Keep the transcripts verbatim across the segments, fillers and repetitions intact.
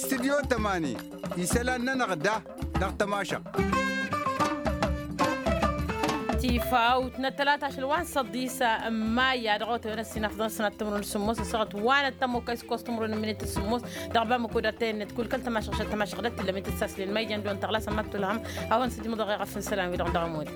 Studyo tămani isălan-nănăɣ da dăɣ-tămašăɣt. Tifawt n-ăttălat ašăl wa n-săḍisa n-mayya dăɣ-otăwen ăssinafḍăn sănat timǝrwen s-sǝmmos ăssaɣăt wa n-ăttămokay s-kos timǝrwen n-minit s-sǝmmos dăɣ-bamăko d-ăttăyăn-net kull kăl-tămašăɣt šăl tămašăɣt d-ăttǝllăm i-tǝssaslen ma ijăn d-wa n-tăɣlas ămmat tulhăm. Awăn sǝjmǝḍăɣ i-ɣăf n-isălan-wi-dăɣ dăɣ-ămud.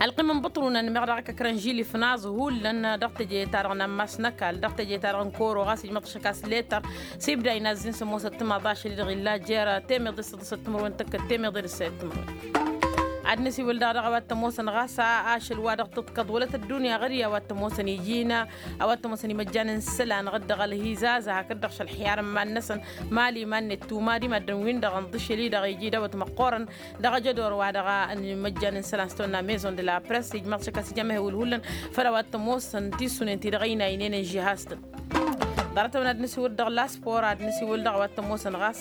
Ălqim n-bǝṭrunăn meɣ dăɣ-kăkrănžil ifnaẓ hullan dăɣ-teje-ta-dăɣ n-ammas n-ăkall dăɣ-teje-ta-dăɣ n-koro ɣas ijmăḍ šăkas letăr s-ibda inazzin s-ămoosăt timaḍ ašăl-i-dăɣ illa jer-temeḍe s-săḍǝsăt timǝrwen tăkkăt temeḍe d-ǝssayăt timǝrwen. Ad-nǝsiwǝl daɣ dăɣ-a-wa t-ămoosăn ɣas ašăl wa dăɣ-tǝḍkăḍ wălăt ăddunya ɣăr i-a-wa t-ămoosăn iji-ină a-wa t-ămoosăn imăjjan n-isălan ɣǝd-dăɣ ălhizază hakd-dăɣ šălḥiyar n-iman-năsăn. Mali iman-net tumad i-maddǝn-win-dăɣ ǝnḍǝšel-i-dăɣ iji dawăt măqqoorăn dăɣ-ajădor wa dăɣ-imăjjan n-isălan s-tăwănna maison de la press ijmaḍ šăkk a-s ija amehewǝl hullan făll-a-wa t-ămoosăn tisunen-ti-dăɣ ăynaynen ǝnžihastăn. Ḍarăt-awăn ad-nǝsiwǝl dăɣ-laspor ad-nǝsiwǝl dăɣ-a-wa t-ămoosăn ɣas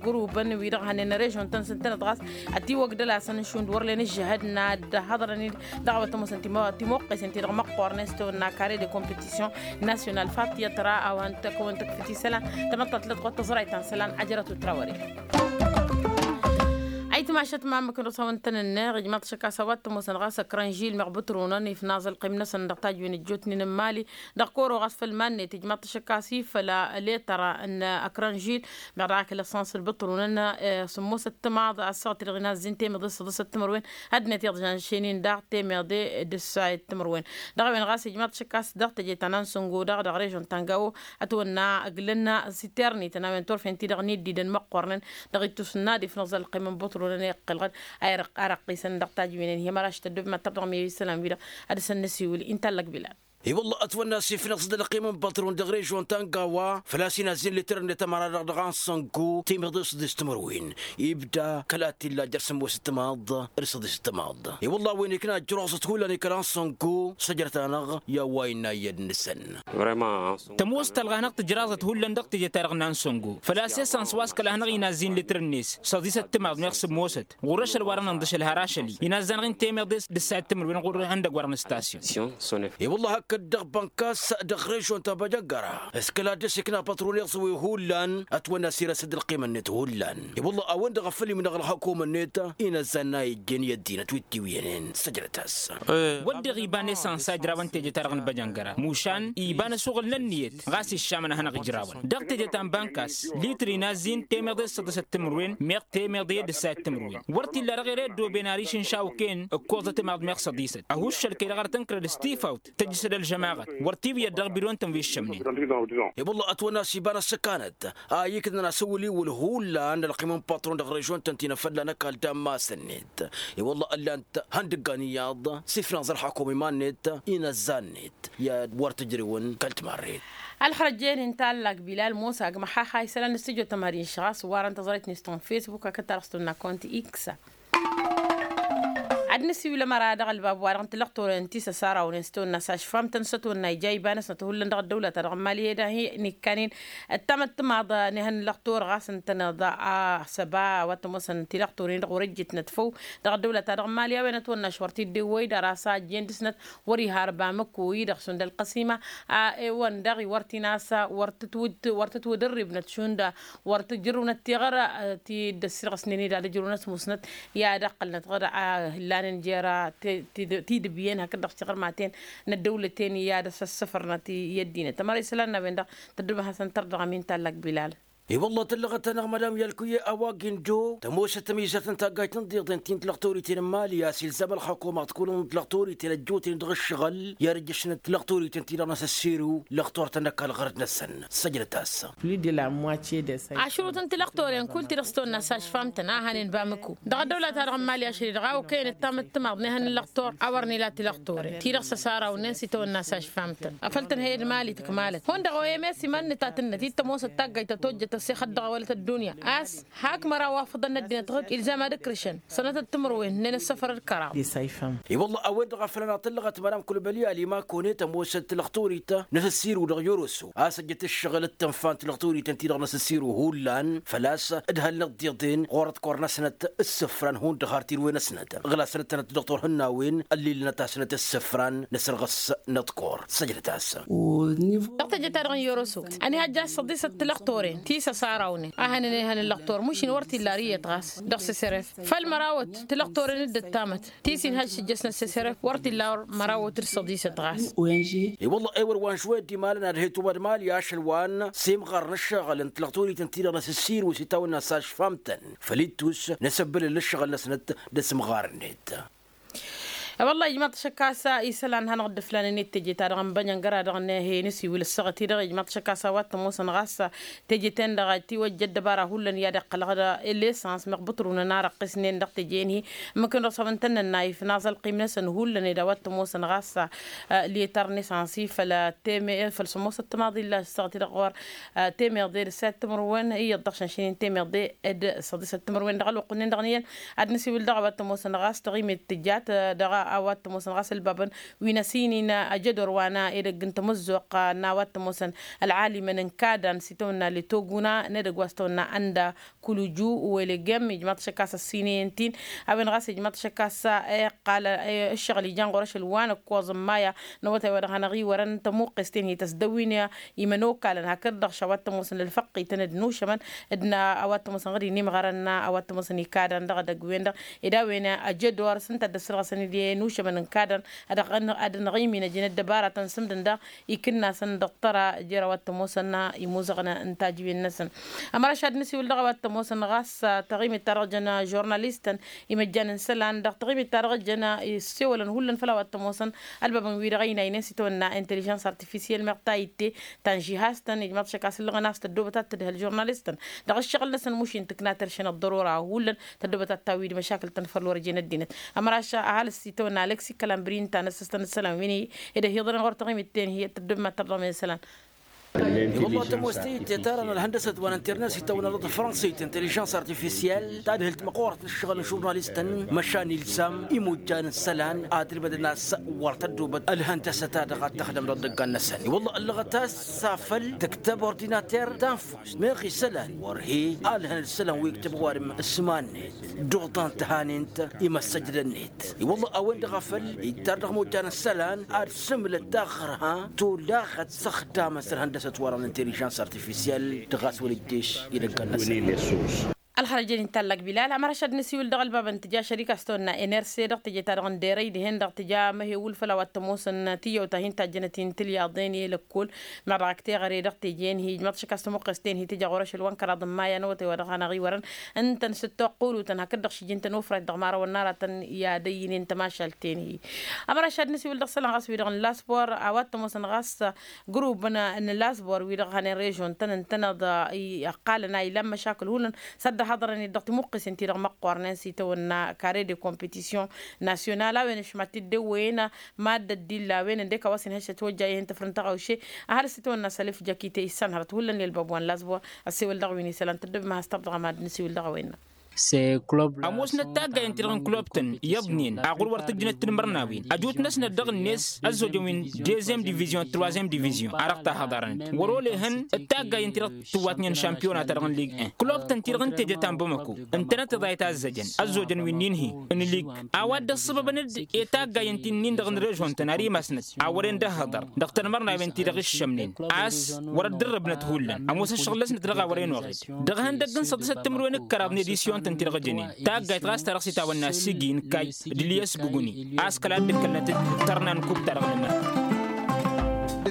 gurubăn-wi-dăɣ hănen režion-tăn s-ǝntănăt ɣas ătiwăgdăl-asăn n-šund wăr len ǝžžǝhăd n-ad-hăḍrăn-dd dăɣ-a-wa t-ămoosăn timoqqesen-ti-dăɣ măqqoornen s-tăwănna kare de competition national fatyăt ra a-wa n-tăkk-wăn tăkk făt isălan. Tamăḍt ta tǝlăt ɣur-tăẓrayt ta n-isălan ajrăt utrawăre. Ayǝtmašăt mamăk n-dăɣ-s a-wa n-tăn-ǝnneɣ ijmaḍ-t šăkk a-s a-wa t-ămoosăn ɣas ăkrănžil meɣ bǝtrunăn ifnaẓ ălqim-năsăn dăɣ-tajwen ăjjootnen n-imali. Dăɣ-kăwăr-oɣas făll-iman-net ijmaḍ-t šăkk a-s ifăl letăr n-ăkrănžil meɣ dăɣ-ak lăssans d-bǝtrunăn. S-ămoosăt timaḍ ăssaɣăt-i-dăɣ inazzin temeḍe s-săḍǝsăt timǝrwen. Ăddinăt iḍjan šenin daɣ temeḍe d-ǝssayăt timǝrwen. Dăɣ-a-wen ɣas ijmaḍ-t šăkk a-s dăɣ-teje ta n-ansǝngo daɣ dăɣ-režion ta n-gawo ătwănna ǝglăn s-iterniten a-wen turfen-ti-dăɣ n-iddidăn măqqoornen. Dăɣ-ittus n-ad-ifnăẓ ălqim n-bǝtrunăn iqqălɣăd a irăqqisăn dăɣ-tajwinen hi-măraš tăddub mad-tărdăɣ miyăy isălan-wi-dăɣ. Ad-dăr-săn nǝsiwǝl inta n-lăkbilal. I-wălla ătwănna s-ifnăẓ-dd ălqim n-bătrun dăɣ-režion ta n-gawa făl-a-s inazzin letăr-net ămăra-dăɣ dăɣ-ansăngu temeḍe s-săḍis timǝrwen. Ibda kăla t-illa jer-sămoos timaḍ d-săḍis timaḍ. I-wălla a-wen ikna ǝjraẓăt hullan i-kăla n-săngo săjrăt-anăɣ i-a-wa innă iyyăd-năsăn. Tămoos talɣa hanăɣ-tǝjraẓăt hullan dăɣ-teje-ta-dăɣ n-ansăngo făl-a-s esăns wa s-kăla hanăɣ-inazzin litr-net săḍisăt timaḍ meɣ sǝmmosăt ɣur-ašăl wa dăɣ-nǝnḍǝšăl har ašăl-i inazzan-ɣ-in temeḍe d-ǝssayăt timǝrwen ɣur-ihăndăgg wa dăɣ-nǝstasyon. I-wălla hakd-dăɣ bănkas dăɣ-režion ta băjăggăra s-kăla dd-ăsikna pătron iẓǝwe hullan ătwănna s-irăsăd ălqimăn-net hullan. I-wălla a-wen-dăɣ a făl imnăɣ ălxăkum-net inăzzan n-a ijjen i-ăddinăt wi t-iwǝyănen săjdăt-as. Wădden iba n-esăns a ǝjrawăn teje-ta-dăɣ n-băjăngăra mušan iba n-asuɣǝl n-ǝnniyăt ɣas iššamăn a hanăɣ-ǝjrawăn dăɣ-teje ta n-bankas litr inazzin temeḍe d-săḍisăt timǝrwen meɣ temeḍe d-ǝssayăt timǝrwen. Wăr t-illa dăɣ-ere ăddooben ariš n-išawken ǝkkoẓăt imaḍ meɣ săḍisăt ăhuššăl-kăy-dăɣ ar tǝnkărăd s-tifawt tăjjǝsăd ălžămaɣăt wăr t-iwǝyăd dăɣ-bidon-tăn wi ǝššămnen. I-wălla ătwănna s-iba n-ăssăkanăt a iknăn asǝwǝl-iwǝl hullan ălqim n-patron dăɣ-režion-tăn ti n-afălla n-ăkall d-ammas-net. I-wălla ǝllan-t ihăndǝggan iyyăḍ s-ifnaẓ ălxakum iman-net inăzzan-net i-ad-wăr tǝjrǝwăn kăl-timarret. Ălxărăjjen inta ăllak bilal mosa agmăxaxa isălan n-studyo tămări n-išɣas warăn tăẓrăyt-net ta n-facebook akăt-ta-dăɣ s-tăwănna kăwăn-t iksa. Ad-nǝsiwǝl ămăra dăɣ-ălbab-wa-dăɣ n-tilăɣtoren ti s-ăsarawnen s-tăwănna s-ašfamtăn s-ătwănna ija iba-năsnăt hullan dăɣ-ăddăwlăt-a-dăɣ n-mali ed ahi n-ikkanen. Ăttamăt timaḍ n-ihăn n-lăɣtor ɣas ǝntăneḍ a-s ăba wa t-ămoosăn tilăɣtoren-dăɣ wăr-ǝjjǝtnăt făw dăɣ-ăddăwlăt-a-dăɣ n-mali a-wen ătwănna š-wăr t-dd-ewwăy d-arasa ăjjeen dăr-snăt wăr-iha ărbamǝku-i-dăɣ šund ălqăsima. A-e-wăn daɣ-i wăr t-in-asa wăr tǝtwǝdrǝbnăt šund wăr tǝjrǝwnăt tiɣăr ti dd-ăssirɣăsnen-dd ad-ǝjrǝwnăt musnăt i-ad-ăqqălnăt ɣǝr a ǝllanen jer-tidǝbyen hakd-dăɣ tiɣărmaten n-ăddăwlăten i-ad-ăssăssăfărnăt i-ăddinăt ămăra isălan n-a-wen-dăɣ. Tăddubăn hasăn-tărdăɣăm inta n-lăkbilal. I-wălla tăllăɣăt-anăɣ madam yalkuye a-wa gindo tămoosăt ămizăt n-taggayt n-iḍeḍen ti n-tilăɣtoriten n-mali a-s ilzam ălxăkumaḍ kulăn tilăɣtoriten ăjjootnen dăɣ-ǝššăɣǝl i-ad-ǝjjăšnen tilăɣtoriten ti-dăɣ n-asăssiru lăɣtor-tăn n-ăkall ɣărăt-năsăn. Săjdăt-as. Ašrut n-tilăɣtoren kull ti-dăɣ s-tăwănna s-ašfamtăn a hănen bamǝku dăɣ-ăddăwla-ta-dăɣ n-mali ašăl-i-dăɣ a okăyăn ǝttam d-timaḍ n-ehăn n-lăɣtor a wăr nǝla tilăɣtoren ti-dăɣ s-ăsarawnen s-itawănna s-ašfamtăn afăl tǝnhăy d-mali tǝkmalăt hundăɣ oyăm i-s iman-nǝtatǝnnăt i-t tămoosăt taggayt ta tojjăt. Ăssexăt dăɣ-awălăt ăddunya a-s hak măraw wa făḍăn n-ăddinăt ɣǝd ilzam ad-ǝkrǝšăn sănătăt timǝrwen n-enăssăfăr d-kăraḍ. Isayfăm. I-wălla a-wen-dăɣ a făl ănatăllăɣăt madam kulbăli alima kăwăne tămoosăt tilăɣturit n-asǝssiru dăɣ-yoroso a-s ăjjăt ǝššăɣǝl d-tǝnfa n-tilăɣturităn-ti-dăɣ n-asǝssiru hullan făl-a-s ǝdhălnăt tiḍeḍen ɣur-ăḍkor-năsnăt ǝssǝfran hundăɣ har tirwen-năsnăt ɣǝla sănăt-tănăt dăɣ-turhǝnnawen ăllilnăt-asnăt ǝssǝfran n-asărɣǝs n-ăḍkor. Săjdăt-as. Dăɣ-teje-ta-dăɣ n-yoroso ăniha ăjja s-săḍisăt tilăɣtoren ti s-ăsarawnen a hănen ehăn n-lăɣtor mušin wăr t-illa ar iyyăt ɣas dăɣ-seseref făll-mărawăt tilăɣtoren d-ăttamăt ti s-inhăj s-ǝjjăsnăt seseref wăr t-illa ar mărawăt d-săḍisăt ɣas. I-wălla ewăr wa n-žuwed imalăn ad-he-tumăḍ mali ašăl wa n-simɣar n-ǝššăɣǝl n-tilăɣturităn-ti-dăɣ n-asǝssiru s-itawănna s-ašfam-tăn făl ittus n-asăbbălăl n-ǝššăɣǝl-năsnăt d-asǝmɣar-net. I-wălla ijmaḍ-t ašăk a-s isălan hanăɣ-dd-ǝflanen i-teje-ta-dăɣ n-bănjăngăra-dăɣ n-he-nǝsiwǝl ǝssăɣăt-i-dăɣ ijmaḍ-t ašăk a-s a-wa t-ămoosăn ɣas teje-ten-dăɣ a tiwăjja ăddăbara hullan i-ad-iqqălăɣ d-lesăns meɣ bǝṭrǝwnen arăqqisnen dăɣ-teje-en-hi. Ǝmmǝk-en-dăɣ s-a-wa ǝntănnăn n-ayǝf n-aẓălqim-năsăn hullan ed a-wa t-ămoosăn ɣas letăr n-esăns-i făll-teme făll-sămoosăt timaḍi illa ǝssăɣăt-i-dăɣ ɣur-temeḍe d-săyăt timǝrwen iyyăḍ dăɣ-šănšănen temeḍe d-săḍisăt timǝrwen dăɣ-ălwăqq-nin-dăɣ n-iyyăn. Ad-nǝsiwǝl dăɣ-a-wa t-ămoosăn ɣas taɣimet tǝjjat dăɣ-a-wa t-ămoosăn ɣas ălbabăn wi n-asǝynin ajădor wa n-edăgg n-tamǝzzuɣt n-a-wa t-ămoosăn ălɣalimăn n-kadan s-itawănna letoguna n-edăgg wa s-tawănna ănda kuluju. Welegem ijmaḍ-t ašăk a-s ăssinăyăn-t-in a-wen ɣas ijmaḍ-t ašăk a-s iqqal ǝššăɣǝl ijan ɣur-ašăl wa n-ǝkkoẓ n-maya n-awătay wa dăɣ-hanăɣ-iwărăn tămuqqes-ten hi-tăsdăwin imănokalăn hakd-dăɣ š-a-wa t-ămoosăn ălfăqqităn d-inušămăn d-a-wa t-ămoosăn ɣǝd-in imɣărăn a-wa t-ămoosăn ikadăn dăɣ-edăgg-wen-dăɣ. Ed a-wen ăjădor s-ǝnta a dd-ăssărɣăsăn-dd i-inušămăn n-kadăn ad-ănɣimin ăjăn ăddăbaratăn s-ǝmdǝn daɣ ikǝnnasăn dăɣ-tăra jer-a-wa t-ămoosăn imuzăɣăn n-tajǝwen-năsăn. Ămăraš ad-nǝsiwǝl dăɣ-a-wa t-ămoosăn ɣas taɣimet-ta-dăɣ jăn žurnalistăn imăjjan n-isălan dăɣ-taɣimet-ta-dăɣ jăn issewălăn hullan făll-a-wa t-ămoosăn ălbabăn-wi-dăɣ ăynaynen s-itawănna intelijans artifisiel meɣ ta itte ta n-žihaz-tăn ijmaḍ-t ašăk a-s ǝllăɣăn a-s tăddoobăt ad-tǝdhăl žurnalistăn dăɣ-ǝššăɣǝl-năsăn mušin tǝkna terše n-ăḍḍărora hullan tăddoobăt ad-tawwid măšakǝl-tăn făll-wăr ăjeen ăddinăt. Ămăraš ăhalǝs itawănna aleksi kalambri ǝnta a năssăstăn isălan wi n-hi ed ăhiḍănen ɣur-taɣimet-ten hi-ăttăddobăm ad-tărdăm isălan. I-wălla tămoos tayǝtte ta dăɣ-nălhăndăs ătwanăn tirnăs itawănna dăɣ-tafrănsăyt intelijans artifisiel tadhǝlt măqqoorăt n-ǝššăɣǝl n-žurnalistăn măšan ilzam imujjan n-isălan ad-ǝlmădăn a-s wăr tăddobăt ălhăndăsăt-ta-dăɣ ad-tăxdăm dăɣ-idăggan-năsăn i-wălla ăllăɣăt a-s s-afăl tǝktăb ordinater tanfust meɣ isălan wăr he-alhăn d-isălan wi ǝktǝb ɣur-imǝsman-net duḍan tăhanent imăssăjdăn-net. I-wălla a-wen-dăɣ a făl ittar dăɣ-imojjan n-isălan ad-sǝmlăt taɣărha tolaɣăt s-ăxdamăn s-ălhăndăsăt wa-dăɣ n-intelijans artifisiel dăɣ-a-s wăr-ǝjješ idăggan-năsăn. Ălxărăj-en inta ăllak bilal ămăraš ad-nǝsiwǝl dăɣ-ălbab n-tǝja šărik a-s tăwănna nrc dăɣ-teje-ta-dăɣ n-derăy dihen-dăɣ tǝja măhewǝl făll-a-wa t-ămoosăn tiyyăwt ta hin-tajjănăt-in tǝlyaḍen i-lăkkol. Meɣ dăɣ-ak teɣăre dăɣ-teje-en hi-ijmăḍ šăkkas tămuqqes-ten hi-tǝja ɣur-ašăl wa n-kăraḍ n-maya n-awătay wa dăɣ-hanăɣ-iwărăn ǝntăn s-dd-toqqulutăn hakd-dăɣ šijjǝn-tăn ufrayt dăɣ-imărawăn n-aratăn i-ad-ăyyǝnen tămašalt-ten-hi. Ămăraš ad-nǝsiwǝl dăɣ-isălan ɣas wi-dăɣ n-lasbor a-wa t-ămoosăn ɣas grubăn n-lasbor wi-dăɣ hanen režon-tăn ǝntăneḍ ăqqalăn a ilan măšakǝl hullan s-ad-dd-ăhaḍărăn-dd dăɣ-timuqqesen-ti-dăɣ măqqoornen s-itawănna kare de competision nasyonal a-wen ăšmat-dd ewwăyăn. Maddă d-illa a-wen ǝndek a-wa s-inhăššăt wăjja ihăn tăfrǝn tăɣawše. Ăhalǝs itawănna sălif jăkite issan hărăt hullan i-ălbab wa n-lasbor. Ăssewăl dăɣ-wi n-isălan tăddobem a has-tărdăɣăm ad-nǝsiwǝl dăɣ-a-wen-năɣ. Ămoosnăt taggayăn ti dăɣ-n kulub-tăn iyyăḍnen a ɣur-wăr tǝjjǝnăt tinmărnawen ăjut-năsnăt dăɣ-net ăzzojăn wi n-dezem divizyon d-trozem divizyon a dăɣ-tahăḍarnăt wăr-olehăn d-taggayăn ti dăɣ-tǝwwatnen šampiyona ta dăɣ-n lig-en kulub-tăn ti dăɣ-n teje ta n-bamăko ǝntănăt iḍayăt a ǝzzăjăn ăzzojăn wi n-inhi n-lig a-wa dd-ăṣṣăbăbăn-dd i-taggayăn ti n-in-dăɣ n-režon-tăn ar imasnăt a wăren d-ăhhăḍăr dăɣ-tanmărnawen ti dăɣ-iššămnen a-s wăr-ăddărrăbnăt hullan ămoos ăššăɣǝl-năsnăt dăɣ-a wărăn oɣed dăɣ-ihăndăgg n-săḍisăt timǝrwen d-kăraḍ n-edisyon-tăn ti dăɣ-ejănen taggayt ɣas ta dăɣ-s itawănna sigi n-kayy d-ilyas buguni a-s kăla dd-ǝkkălnăt d-tărna n-kub ta dăɣ-nǝmăr.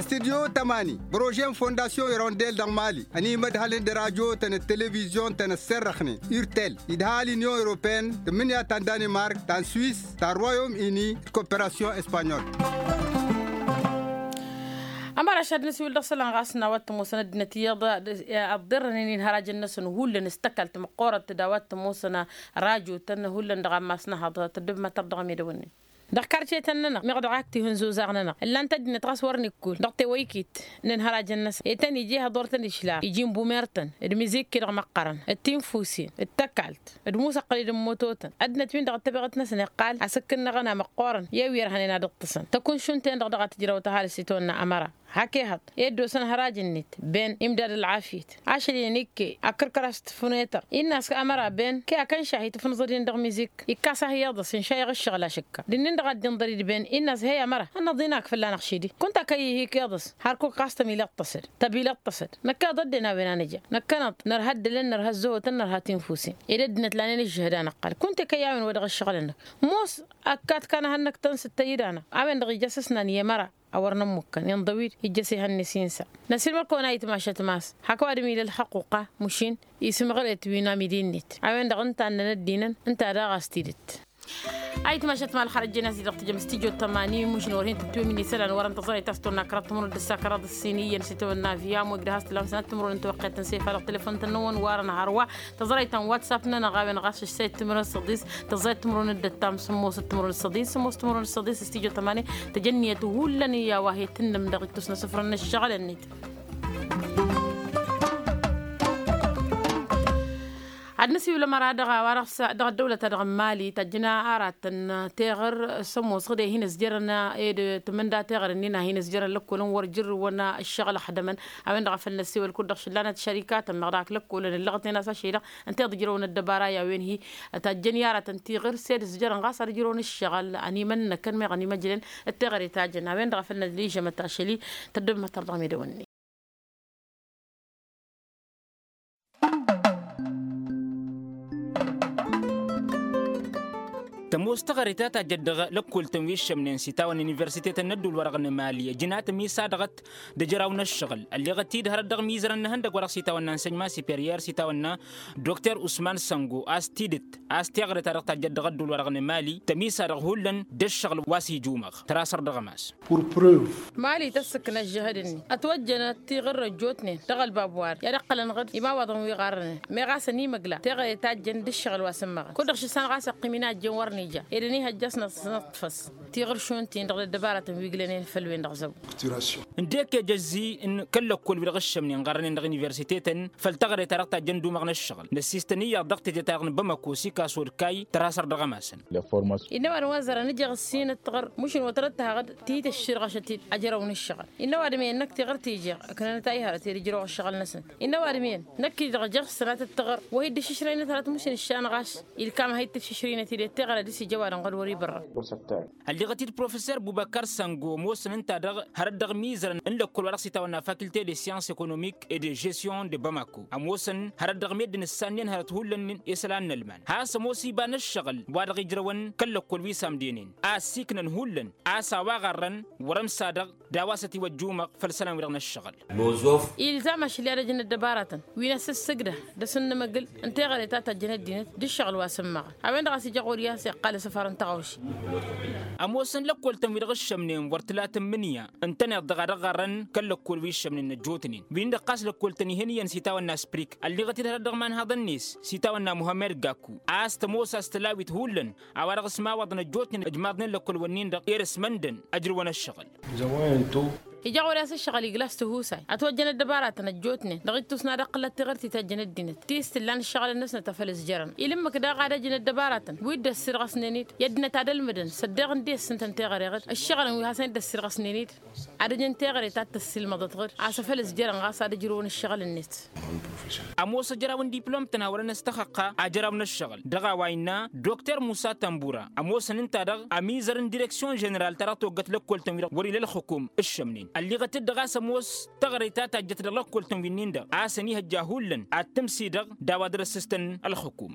Studyo tămani bărože n-fondasyon irondel dăɣ-mali ănimădhălăn d-radyo-tăn d-televizyon-tăn ăssărrăxnen urtel idha l-inyon europeen tǝmmǝnǝya ta n-danimark ta n-swis ta n-royom ini d-koperasyon espanyol. Ămăraš ad-nǝsiwǝl dăɣ-isălan ɣas n-a-wa t-ămoosăn ăddinăt iyyăḍ ăḍḍirrănen inhărajăn-năsăn hullan s-tăkalt măqqoorăt d-a-wa t-ămoosăn rajo-tăn hullan dăɣ-ammas n-ehăḍ tăddobem ad-tărdăɣăm edăwănnen. Dăɣ-karcetăn-nănăɣ meɣ dăɣ-ak tihǝnzuzaɣ-nănăɣ ǝllan-t ăddinăt ɣas wăr nǝkkul dăɣ-tewăykit n-ǝnhărajăn-năsăn. E-tăn iji ehăḍor-tăn išlaf iji n-bumer-tăn d-imǝzikki dăɣ-măqqărăn d-tinfusin d-tăkalt d-musăqqăl-dd n-mototăn. Ăddinăt-win-dăɣ d-tebăɣăt-năsăn iqqal asǝkkǝnnăɣăn a măqqoorăn i-wi ărhănen ad-ǝṭṭǝsăn tăkun šund-ten-dăɣ dăɣ-a tǝjrăw tăhalǝst itawănna ămăra. Hak ehăḍ ed dd-osăn hăraj-net ben imdad ălɣafyăt ašăl-in ikke akǝrkăr a-s tǝfnetăr innă a-s ămăra ben ke akăn šahi tǝfnǝẓăd-in dăɣ-mizik ikkas-ahi iḍǝs inšayăɣ ǝššăɣǝl ašǝkka d-innin-dăɣ a dd-inḍăr-dd ben innă a-s hey ămăra ănnăḍ-in akfǝllan ăɣšidi kunta kăy-ihi ikeḍǝs. Hărkuk ɣas tămilăṭṭăsăd tăbilăṭṭăsăd năkk iḍădden a-wen a nǝja năkkănăḍ nărha ăddălăn nărha ăzzăhotăn nărha tinfusin. Ed ăddinăt lanen ǝžžǝhăd a năqqal kunta kăy-a-wen wa dăɣ-ǝššăɣǝl-năk. Ămoos ăkkat kan ehăn năktăn s-ǝttăy-dd-anăɣ a-wen-dăɣ ija s-ǝsnan i-ămăra a wăr nămmukkăn inḍăw-dd ijjăs ehăn-net insa. Năsilmăr-kăwăn a itmašăt mas hak ăwadǝm ila ălxăqquqa mušin isǝmɣăret wi n-amidi-net a-wen-dăɣ ǝnta ănnăn ăddinăn ǝnta daɣ a-s tidǝt. Ayǝtmašăt ma ălxărăt jen a-s i-dăɣ tǝjăm s-tijot tămani mušin wăr hin-tǝtwǝmǝn isălan wăr-ăntăẓrăyt a-s tăwănna kăraḍ timǝrwen d-ǝssa kăraḍ ǝssin iyyăn s-itawănna aviam wa igdăh a-s tǝlam sănat timǝrwen n-tiwăqqet n-sefalăɣ telefon-tăn-năwăn warăn hărwa. Tăẓrăyt ta n-whatsapp-nănăɣ a-wen ɣas ǝššăyt timǝrwen s-ăḍis tăẓrăyt timǝrwen d-ăttam sǝmmosăt timǝrwen s-ăḍis sǝmmos timǝrwen s-ăḍis s-tijot tămani. Tăjănniyăt hullan i-a-wa he-tǝnnǝm dăɣ-ittus n-asǝfrăn n-ǝššăɣǝl-net. Ad-nǝsiwǝl ămăra dăɣ-a-wa dăɣ-s dăɣ-ăddăwlăt-a-dăɣ n-mali tajjǝn aratăn teɣăr s-ămoos ɣǝd e-hin-ǝzjărăn ed tǝmǝnda teɣăr-ǝnnin a hin-ǝzjărăn lăkkolăn wăr jǝrrǝwăn ǝššăɣǝl ăxdămăn. A-wen-dăɣ a făl năssiwăl kud-dăɣ šǝllanăt šărikatăn meɣ dăɣ-ak lăkkolăn ǝllăɣăt-en a-s ašăl-i-dăɣ ǝnta i-dd-ǝjrăwăn ăddăbara i-a-wen-hi. Tajjăn i-aratăn tiɣǝr s-ed ǝzjărăn ɣas ad-ǝjrăwăn ǝššăɣǝl ănimănnăkăn meɣ ănimăjlăn d-teɣăre tajjăn a-wen-dăɣ a făl năllijămăt ašăl-i. Tăddăbmăt-tăr dăɣ-medăwănni. Tămoos teɣăre ta tajjăt dăɣ-lăkkol-tăn wi ǝššămnen s-itawăn n-universitetăn n-ădduul-wa-dăɣ n-emali ăjjǝn a tămisad dăɣ-t d-ajăraw n-ăššăɣǝl ălleɣăt-dd hărăt dăɣ-imizărăn n-ihăndăgg wa dăɣ-s itawănna n-sănjma superiyer s-itawănna dokter usman săngo a-s tidǝt a-s teɣăre ta dăɣ-tajjăt dăɣ-ădduul-wa-dăɣ n-emali tămisa dăɣ-hullan d-ăššăɣǝl wa s-ijumăɣ. Tăra săr dăɣ-ămas. Mali tăssǝkna ǝžžǝhăd-ǝnni ătwăjjănăt tiɣǝr ăjjootnen dăɣ-ălbab wa-dăɣ i-ad-ǝqqălăn ɣǝd imawaḍăn wi ɣarrănen. Meɣ a-s ănimăgla teɣăre tajjăn d-ǝššăɣǝl wa s-ǝmmăɣăn kud-dăɣ šǝssan ɣas iqqim-in a ăjjeen wăr nija ed ănihăjja a-s năṭṭfăs tiɣǝr šund-tin-dăɣ d-ăddăbaratăn wi ǝglănen făll-wen-dăɣ zăbo. Ǝndek ejăzzi n-kăl-lăkkol-wi-dăɣ ǝššămnen ɣarrănen dăɣ-universitetăn făll-teɣăre-ta-dăɣ tajjăn d-umăɣ n-ǝššăɣǝl năssiistăn iyyăḍ dăɣ-tete-ta-dăɣ n-bamako s-ikaso d-kayy tăra săr dăɣ-ămasăn. Innă ăwadǝm wa zărăn ǝjeɣ ǝssin ǝttăɣăr mušǝn wa tărăt tahăɣ-dd tihit ăšširɣăšăt-dd ajrăw n-ǝššăɣǝl. Innă ăwadǝm-en năkk tiɣǝrt ijeɣ ǝknănăt a ihărăt ed ǝjrăw ăššăɣǝl-năsăn. Innă ăwadǝm-en năkk-i-dăɣ jeɣ s-sănatăt tiɣăr wa hi-dd-ǝššǝšrăynăt hărăt mušǝn ǝššan ɣas ilkam a hi-dd-tǝššǝšrăynăt-dd i-tiɣăr ad-dăr-s ija ăwadǝm ɣǝd wăr-ibărrăn. Ălleɣăt-dd professor bubăkar sango ămoosăn ǝnta-dăɣ hărăt dăɣ-imizărăn n-lăkkol wa dăɣ-s itawănna faculté de science économique et de gestion de bamako ămoosăn hărăt dăɣ-meddǝn ǝssannen hărăt hullan isălan n-ălman has-ămoos iba n-ǝššăɣǝl wa dăɣ-ijrăwăn kăl-lăkkol wi s-amdenen a ăssiiknăn hullan a-s a-wa ɣarrăn wăr-ămsadăɣ d-a-wa s-ătiwăjjumăɣ făll-isălan-wi-dăɣ n-ǝššăɣǝl. Ilzam ašli ad-ăj n-ăddăbaratăn wi n-asǝssǝgdăh d-asǝnnǝmăgǝl n-teɣăre ta tăjjăn ăddinăt d-ǝššăɣǝl wa s-ǝmmăɣăn. A-wen-dăɣ a-s ija ɣur-i a-s iqqal asǝfar n-taɣawse. Ămoosăn lăkkol-tăn wi-dăɣ ǝššămnen wăr tǝla tǝmmǝnǝya ǝntăneḍ dăɣ-a dăɣ-ɣarrăn kăl-lăkkol wi ǝššămnen ăjjootnen wi n-dăɣ ɣas lăkkol-tăn ih'-en iyyăn s-itawănna sprik ălliɣăt-dd hărăt dăɣ-imanhaḍăn-net s-itawănna muhămmed gakku a-s tămoos a-s tǝlawit hullan a-wa-dăɣ s-imawaḍăn ăjjootnen ăjmaḍnen lăkkol-wǝnnin-dăɣ i-ad-ăsmăndăn ăjrǝwăn ǝššăɣǝl. Ija ɣur-i a-s ǝššăɣǝl igla s-tihusay ătwăjjăn ăddăbaratăn ăjjootnen dăɣ-ittus n-ad-ăqqǝlăt tiɣǝrt i-tajjăn ăddinăt ti s-tǝllan ǝššăɣǝl-năsnăt a făl ǝzjărăn. Ilǝmmǝk daɣ ad-ăj n-ăddăbaratăn wi dd-ăssirɣăsnen-dd i-ăddinăt ad-ălmǝdăn s-ăddeɣ n-dd-e-s ǝntăn teɣăre ɣǝd ǝššăɣǝlăn wi hasăn-dd-ăssirɣăsnen-dd ad-ăjăn teɣăre ta t-tăssilmăḍăt ɣǝd a-s a făl ǝzjărăn ɣas ad-ǝjrǝwăn ǝššăɣǝl-net. Ămoos ajăraw n-diplom-tăn a wărăn ăstăxăqqa ajăraw n-ǝššăɣǝl dăɣ-a-wa innă dokter musa tămbura ămoosăn ǝnta-dăɣ ămizăr n-direksyon ženeral ta dăɣ-toggăt lăkkol-tăn wi-dăɣ wăr-ila ălxǝkum ǝššămnen ălliɣăt-dd dăɣ-a-s ămoos teɣăre ta tajjăt dăɣ-lăkkol-tăn wi-nin-dăɣ a-s ănihăjja hullan ad-tǝmsidăɣ d-a-wa dăr-ăssǝstăn ălxǝkum.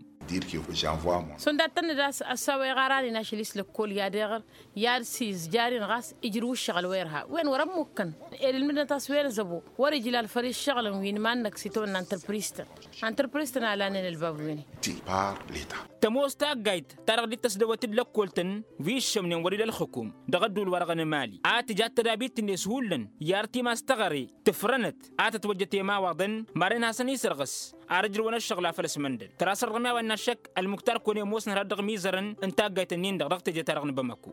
Šund ad-tănnăd a-s a-wa iɣaranen ašăl-i s-lăkkol i-ad-iɣăr i-ad-sizjarin ɣas ijrǝw ǝššăɣǝl wa irha wen wăr-ămmukkăn ed ǝlmǝdnăt a-s wen zăbo wăr-ijlal făll-iššăɣǝlăn wi n-iman-năk s-itawănna n-tărpristăn. Antărpristăn a lanen ălbab wi-ni. Tămoos taggayt ta dăɣ-dd-tăsdăwăt d-lăkkol-tăn wi ǝššămnen wăr-ila ălxǝkum dăɣ-ădduul-wa-dăɣ n-emali a tǝja d-tădabit-net hullan i-artim a-s teɣăre tǝfrănăt a tătwăjjăt i-ămawaḍăn maren hasăn-isărɣǝs. ar ǝjrǝwăn ăššăɣǝl a făl ăsmăndăn tărasărrăm i-a-wa innă ăššăk. Ălmuktar kăwăn-e ămoosnăt har dăɣ-imizărăn n-taggayt-ǝnnin-dăɣ dăɣ-teje-ta-dăɣ n-bamăku.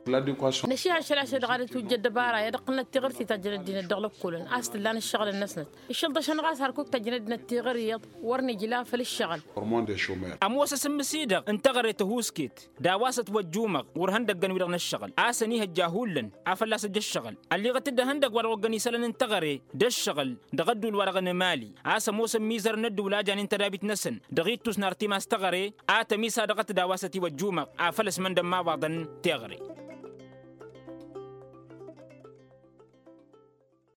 Năšihăššăl ašăl dăɣ-ad-ătwǝjjăd ăbara i-ad-ăqqǝlnăt tiɣǝrt-i tajjăn ăddinăt dăɣ-lăkkolăn a-s t-ǝllan ǝššăɣǝl-năsnăt. Iššăl-dăɣ šănɣas har kuk tajjăn ăddinăt tiɣǝrt iyyăḍ wăr nǝjla făll-ǝššăɣǝl. Ărmon de šomer. Ămoos asǝmmǝs-i-dăɣ n-teɣăre tăhuusket d-a-wa s-ătwăjjumăɣ ɣur-ihăndăggăn-wi-dăɣ n-ǝššăɣǝl a-s ănihăjja hullan. Afăl a-s ăjj ǝššăɣǝl ălliɣăt-dd ihăndăgg-wa-dăɣ oggăn isălan n-teɣăre d-ǝššăɣǝl dăɣ-ădduul-wa-dăɣ n-emali a-s ămoosăn imizărăn n-ădduul a janen tădabit-năsăn dăɣ-ittus n-artimas teɣăre. A tămisa dăɣ-t d-a-wa s-ătiwăjjumăɣ afăl ăsmăndăn imawaḍăn teɣăre.